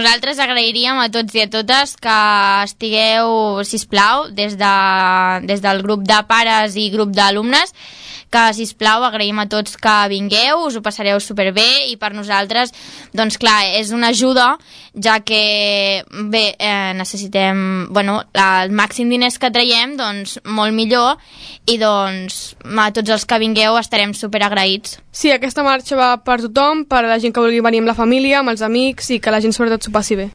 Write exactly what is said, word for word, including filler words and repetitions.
Nosaltres agrairíem a tots i a totes que estigueu, sisplau, des, de, des del grup de pares i grup d'alumnes, que, sisplau, agraïm a tots que vingueu, us ho passareu superbé i per nosaltres, doncs clar, és una ajuda, ja que, bé, eh, necessitem, bueno, el màxim diners que traiem, doncs molt millor, i doncs a tots els que vingueu estarem superagraïts. Sí, aquesta marxa va per tothom, per a la gent que vulgui venir amb la família, amb els amics i que la gent sobretot s'ho passi bé.